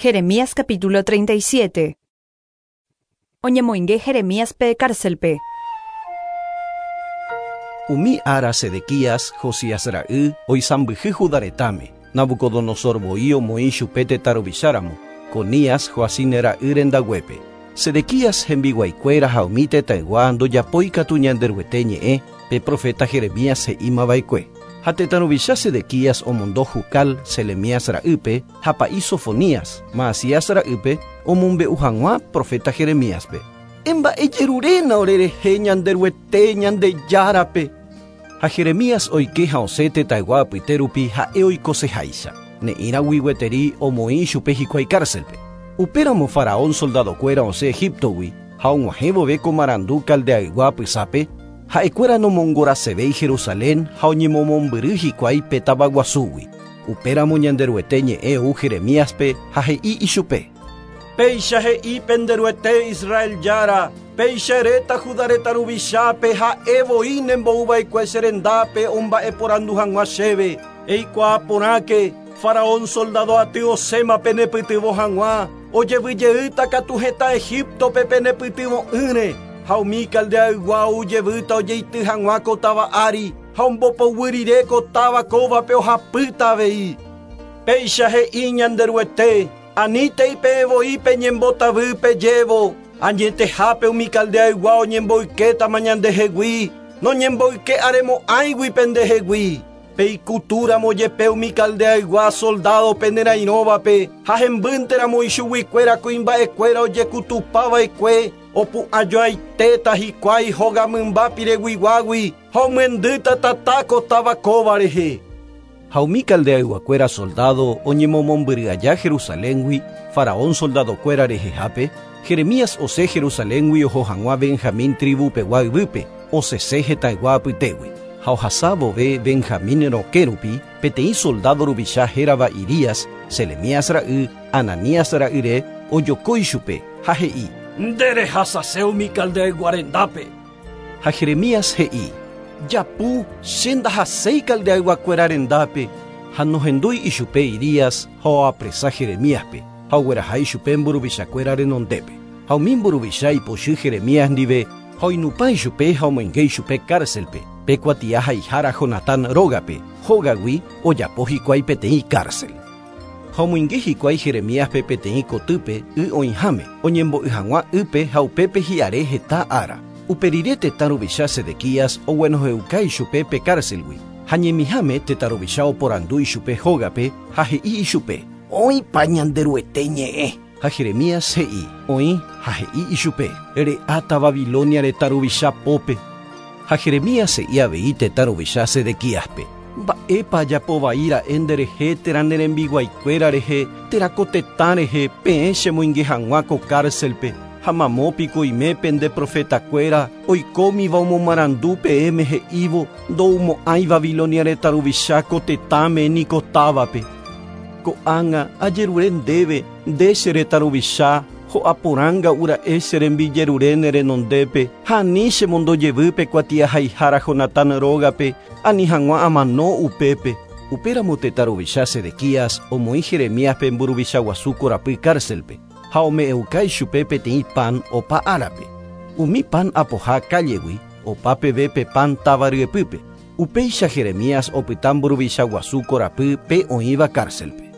Jeremías capítulo 37. Oñemoinge Jeremíaspe cárcelpe. Umi ára Sedequías, Josías ra'y, oisãmbyhy Judá retãme, Nabucodonosor voi omoĩ chupe tetã ruvicháramo, Conías, Joacim ra'y rendaguépe. Sedequías hembiguaikuéra ha umi tetãygua ndojapói katu Ñanderuete ñe'ẽ, pe proféta Jeremías he'íma va'ekue. Ha tetã ruvicha Sedequías omondo Jucal, Selemías ra'ýpe, ha pa'i Sofonías, Maasías ra'ýpe, omombe'u hag̃ua proféta Jeremíaspe. Emba'ejeruréna orerehe Ñanderuete, Ñandejárape. Ha Jeremías oike ha osẽ tetãygua apyte rupi ha'e oikoseháicha, ne'ĩragui gueteri omoĩ ichupe hikuái kárselpe. Upéramo faraón soldadokuéra osẽ Egíptogui, ha og̃uahẽ vove ko marandu Caldeaygua apysápe, ha'ekuéra nomongorasevéi Jerusalén ha oñemomombyry hikuái pe tavaguasúgui. Upéramo Ñanderuete ñe'ẽ ou Jeremíaspe ha he'i ichupe. Péicha he'i pende Ruete, Israel Jára, Péicha eréta Judá retã ruvichápe, ha'e voi nembou va'ekue che rendápe omba'eporandu hag̃ua chéve, Eikuaa porãke, Faraón soldádo aty osẽma penepytyvõ hag̃ua, ojevy jeýta katu hetã Egíptope penepytyvõ'ỹre, ha umi Caldeaygua ou jevýta ojeity hag̃ua ko táva ári, ha ombopoguy rire ko táva kóvape ohapýta avei. Péicha he'i Ñanderuete, Anítei peẽ voi peñembotavy pejévo, Añetehápe umi Caldeaygua oñemboykétama ñandehegui, noñemboyke aremo'ãigui pendehegui. Peikutúramo jepe umi Caldeaygua soldádo penerairõvape ha hembýnteramo ichuguikuéra kuimba'ekuéra ojekutupa va'ekue, opu'ãjoaitéta hikuái hóga mymba pireguiguágui ha omyendýta tata ko táva kóva rehe. Ha umi Caldeayguakuéra soldádo oñemomombyry aja Jerusaléngui faraón soldadokuéra rehehápe, Jeremías osẽ Jerusaléngui oho hag̃ua Benjamín trivupegua yvýpe, osẽse hetãygua apytégui. Ha ohasa vove Benjamín rokẽ rupi, peteĩ soldádo ruvicha hérava Irías, Selemías ra'y, Ananías ra'yre, ojoko ichupe, ha he'i. Nde rehasase umi Caldeaygua rendápe. Ha Jeremías he'i, Japu, che ndahaséi Caldeayguakuéra rendápe. Ha nohendúi ichupe Irías ha oapresa Jeremíaspe, ha ogueraha ichupe mburuvichakuéra renondépe. Ha umi mburuvicha ipochy Jeremías ndive ha oinupã ichupe ha omoinge ichupe kárselpe, pe kuatia haihára Jonatán rógape, hógagui ojapo hikuái peteĩ kársel. Ha omoinge hikuái Jeremíaspe peteĩ kotýpe y oĩháme, oñembo'y hag̃ua ýpe ha upépe hi'are heta ára. Upe rire tetã ruvicha Sedequías oguenohẽuka ichupe pe kárselgui, ha ñemiháme tetã ruvicha oporandu ichupe hógape ha he'i ichupe. Oĩpa Ñanderuete ñe'ẽ? Ha Jeremías he'i, Oĩ, ha he'i ichupe, Re'áta Babilonia retã ruvicha pópe. Ha Jeremías he'i avei tetã ruvicha Sedequíaspe, Mba'épa ajapo vai ra'e nderehe térã ne rembiguaikuéra rehe térã ko tetã rehe peẽ chemoinge hag̃ua ko kárselpe? Ha mamo piko oime pende profetakuéra oikómiva omomarandu peẽme he'ívo ndoumo'ãi Babilonia retã ruvicha ko tetãme ni ko távape? Ko'ág̃a ajerure ndéve, nde che retã ruvicha, ho'a porãnga'u ra'e che rembijerure ne renondépe, ha ani chemondo jevy pe kuatiahaihára Jonatán rógape, ani hag̃ua amano upépe. Upéramo tetã ruvicha Sedequías omoĩ Jeremíaspe mburuvicha guasu korapy kárselpe, ha ome'ẽuka ichupe peteĩ pan opa árape. Umi pan apoha kállegui, opa peve pe pan táva ryepýpe. Upéicha Jeremías opyta mburuvicha guasu korapy pe oĩva kárselpe.